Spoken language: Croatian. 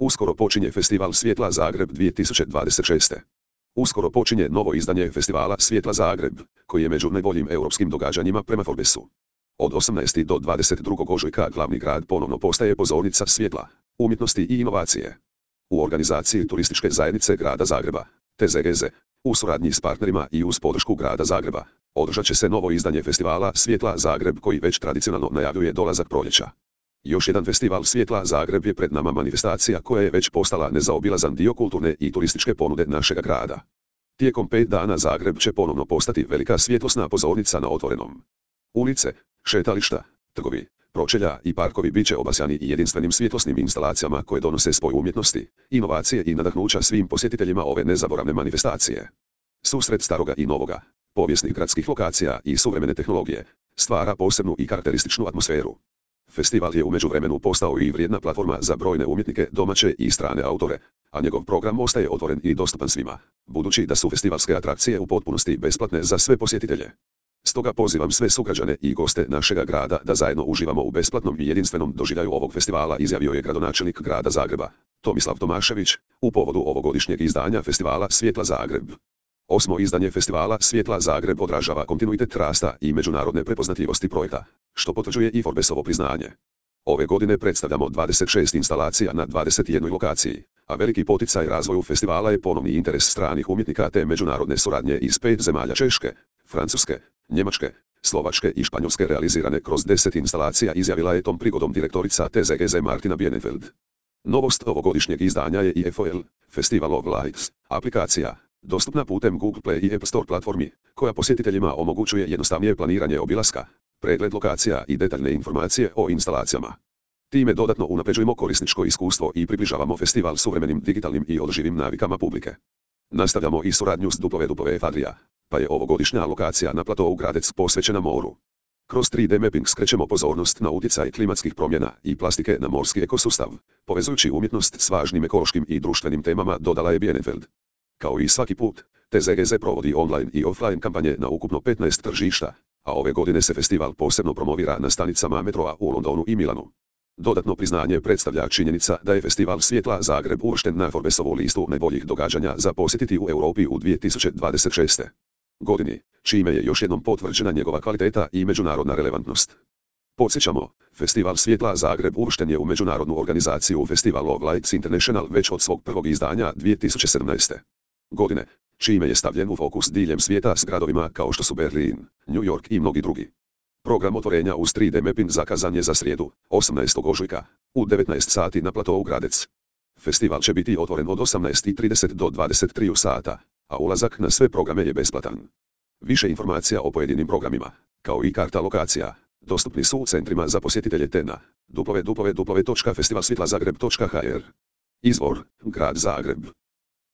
Uskoro počinje Festival Svjetla Zagreb 2026. Uskoro počinje novo izdanje Festivala Svjetla Zagreb, koji je među najboljim europskim događanjima prema Forbesu. Od 18. do 22. ožujka glavni grad ponovno postaje pozornica svjetla, umjetnosti i inovacije. U organizaciji Turističke zajednice grada Zagreba, TZGZ, u suradnji s partnerima i uz podršku grada Zagreba, održat će se novo izdanje Festivala Svjetla Zagreb koji već tradicionalno najavljuje dolazak proljeća. Još jedan Festival Svjetla Zagreb je pred nama manifestacija koja je već postala nezaobilazan dio kulturne i turističke ponude našega grada. Tijekom 5 dana Zagreb će ponovno postati velika svjetlosna pozornica na otvorenom. Ulice, šetališta, trgovi, pročelja i parkovi bit će obasjani jedinstvenim svjetlosnim instalacijama koje donose spoj umjetnosti, inovacije i nadahnuća svim posjetiteljima ove nezaboravne manifestacije. Susret staroga i novoga, povijesnih gradskih lokacija i suvremene tehnologije, stvara posebnu i karakterističnu atmosferu. Festival je u međuvremenu postao i vrijedna platforma za brojne umjetnike, domaće i strane autore, a njegov program ostaje otvoren i dostupan svima, budući da su festivalske atrakcije u potpunosti besplatne za sve posjetitelje. Stoga pozivam sve sugrađane i goste našega grada da zajedno uživamo u besplatnom i jedinstvenom doživljaju ovog festivala, izjavio je gradonačelnik grada Zagreba, Tomislav Tomašević, u povodu ovogodišnjeg izdanja Festivala Svjetla Zagreb. 8. izdanje Festivala Svjetla Zagreb odražava kontinuitet rasta i međunarodne prepoznatljivosti projekta, što potvrđuje i Forbesovo priznanje. Ove godine predstavljamo 26 instalacija na 21 lokaciji, a veliki poticaj razvoju festivala je ponovni interes stranih umjetnika te međunarodne suradnje iz 5 zemalja Češke, Francuske, Njemačke, Slovačke i Španjolske realizirane kroz 10 instalacija, izjavila je tom prigodom direktorica TZGZ Martina Bienenfeld. Novost ovogodišnjeg izdanja je i FOL, Festival of Lights, aplikacija, dostupna putem Google Play i App Store platformi, koja posjetiteljima omogućuje jednostavnije planiranje obilaska, pregled lokacija i detaljne informacije o instalacijama. Time dodatno unapređujemo korisničko iskustvo i približavamo festival suvremenim digitalnim i održivim navikama publike. Nastavljamo i suradnju s WWF Adria, pa je ovogodišnja lokacija na platou Gradec posvećena moru. Kroz 3D mapping skrećemo pozornost na utjecaj klimatskih promjena i plastike na morski ekosustav, povezujući umjetnost s važnim ekološkim i društvenim temama, dodala je Bienenfeld. Kao i svaki put, TZGZ provodi online i offline kampanje na ukupno 15 tržišta, a ove godine se festival posebno promovira na stanicama metroa u Londonu i Milanu. Dodatno priznanje predstavlja činjenica da je Festival Svjetla Zagreb uvršten na Forbesovu listu najboljih događanja za posjetiti u Europi u 2026. godini, čime je još jednom potvrđena njegova kvaliteta i međunarodna relevantnost. Podsjećamo, Festival Svjetla Zagreb uvršten je u međunarodnu organizaciju Festival of Lights International već od svog prvog izdanja 2017. godine, čime je stavljen u fokus diljem svijeta s gradovima kao što su Berlin, New York i mnogi drugi. Program otvorenja uz 3D mapping zakazan je za srijedu, 18. ožujka, u 19 sati na platou Gradec. Festival će biti otvoren od 18:30 do 23 sata, a ulazak na sve programe je besplatan. Više informacija o pojedinim programima, kao i karta lokacija, dostupni su u centrima za posjetitelje te na www.festivalsvjetlazagreb.hr. Izvor, Grad Zagreb.